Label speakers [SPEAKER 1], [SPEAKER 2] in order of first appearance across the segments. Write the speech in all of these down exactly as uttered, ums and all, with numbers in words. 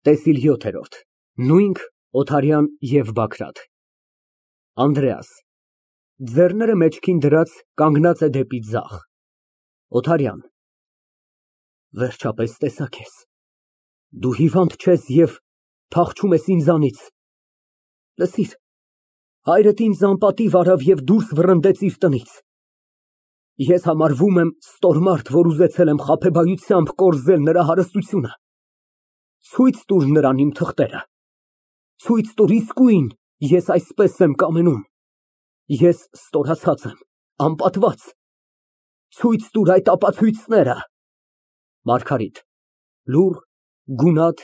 [SPEAKER 1] ՏԵՍԻԼ ՅՈԹԵՐՈՐԴ ՆՈՒՅՆՔ, ՕԹԱՐՅԱՆ ԵՎ ԲԱԳՐԱՏ ԱՆԴՐԵԱՍ ֊ (Ձեռները մեջքին դրած, կանգնած է դեպի ձախ) ՕԹԱՐՅԱՆ ֊ Վերջապես տեսա քեզ, դու հիվանդ չես և փախչում ես ինձանից, լսիր, հայրդ ինձ անպատիվ արավ և դուրս վռնդեց իր տնից, ես համարվում եմ ստոր մարդ, որ ուզեցել եմ խաբեբայությամբ կորզել նրա հարստությունը, ցույց տուր նրան իմ թղթերը, ցույց տուր իսկույն ես այսպես եմ կամենում, ես ստորացած եմ, անպատված, ցույց տուր այդ ապացույցները։ ՄԱՐԳԱՐԻՏ ֊ (Լուռ, գունատ,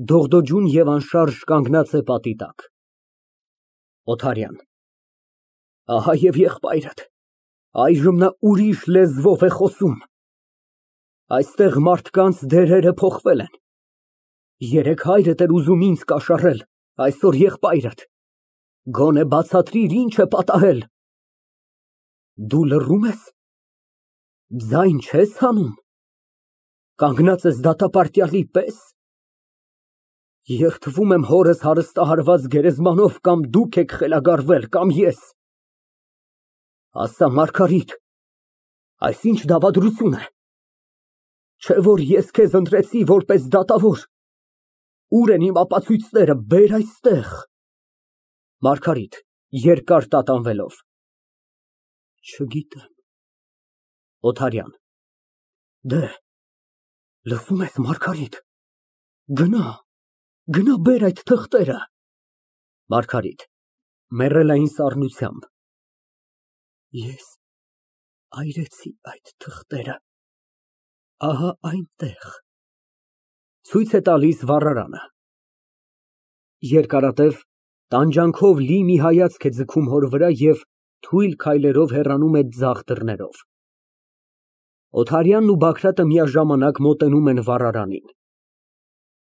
[SPEAKER 1] դողդոջուն և անշարժ կանգնած է պատի տակ)։ ՕԹԱՐՅԱՆ ֊ Ահա և եղբայրդ, այժմ նա ուրիշ լեզվով է խոսում, այստեղ մարդկանց դերերը փոխվել են, երեկ հայրդ էր ուզում ինձ կաշառել, այսօր եղբայրդ, գոնե բացատրիր, ինչ է պատահել։ Դու լռում ես, ձայն չես հանում, կանգնած ես դատապարտյալի պես, երդվում եմ հորս հարստահարված գերեզմանով, կամ դուք եք խելագարվել, կամ ես։ Ասա, Մարգարիտ, այս ի՞նչ դավադրություն է, չէ՞ որ ես քեզ ընտրեցի որպես դատավոր, ուր են իմ ապացույցները, բեր այստեղ։ ՄԱՐԳԱՐԻՏ ֊ (Երկար տատանվելով) Չգիտեմ։ ՕԹԱՐՅԱՆ ֊ Դեհ, լսո՞ւմ ես, Մարգարիտ, գնա, գնա բեր այդ թղթերը։ ՄԱՐԳԱՐԻՏ ֊ (Մեռելային սառնությամբ) Ես այրեցի այդ թղթերը, ահա այնտեղ։ (Ցույց է տալիս վառարանը) Երկարատև, տանջանքով լի մի հայացք է ձգում հոր վրա և թույլ քայլերով հեռանում է ձախ դռներով։ ՕԹԱՐՅԱՆն ու ԲԱԳՐԱՏԸ միաժամանակ մոտենում են վառարանին։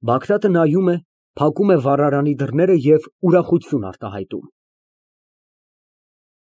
[SPEAKER 1] (Բագրատը նայում է, փակում է վառարանի դռները և ուրախություն արտահայտում)։